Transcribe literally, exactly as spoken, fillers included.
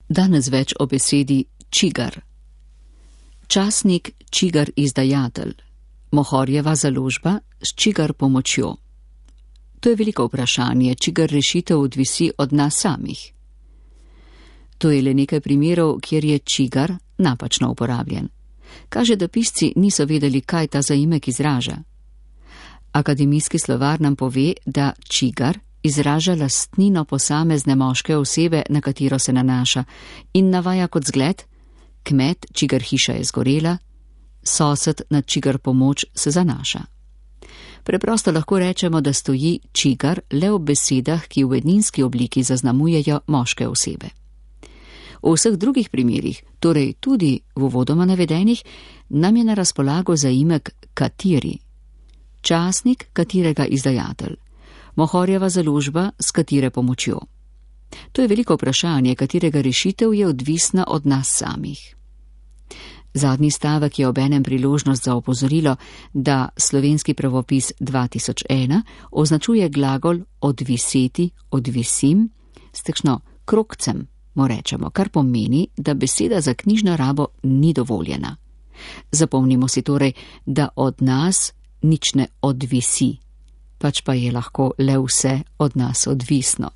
Danes več o besedi čigar. Časnik čigar izdajatelj, Mohorjeva založba s čigar pomočjo. To je veliko vprašanje, čigar rešitev odvisi od nas samih. To je le nekaj primerov, kjer je čigar napačno uporabljen. Kaže, da pisci niso vedeli, kaj ta zaimek izraža. Akademijski slovar nam pove, da čigar izraža lastnino posamezne moške osebe, na katero se nanaša, in navaja kot zgled: kmet, čigar hiša je zgorela, sosed, na čigar pomoč se zanaša. Preprosto lahko rečemo, da stoji čigar le v besedah, ki v edninski obliki zaznamujejo moške osebe. V vseh drugih primerih, torej tudi v uvodoma navedenih, nam je na razpolago zaimek kateri. Časnik, katerega izdajatelj. Mohorjeva založba, s katere pomočjo. To je veliko vprašanje, katerega rešitev je odvisna od nas samih. Zadnji stavek je obenem priložnost za opozorilo, da slovenski pravopis dva tisoč ena označuje glagol odviseti, odvisim, s takšno krogcem, mu rečemo, kar pomeni, da beseda za knjižno rabo ni dovoljena. Zapomnimo si torej, da od nas nič ne odvisi, pač pa je lahko le vse od nas odvisno.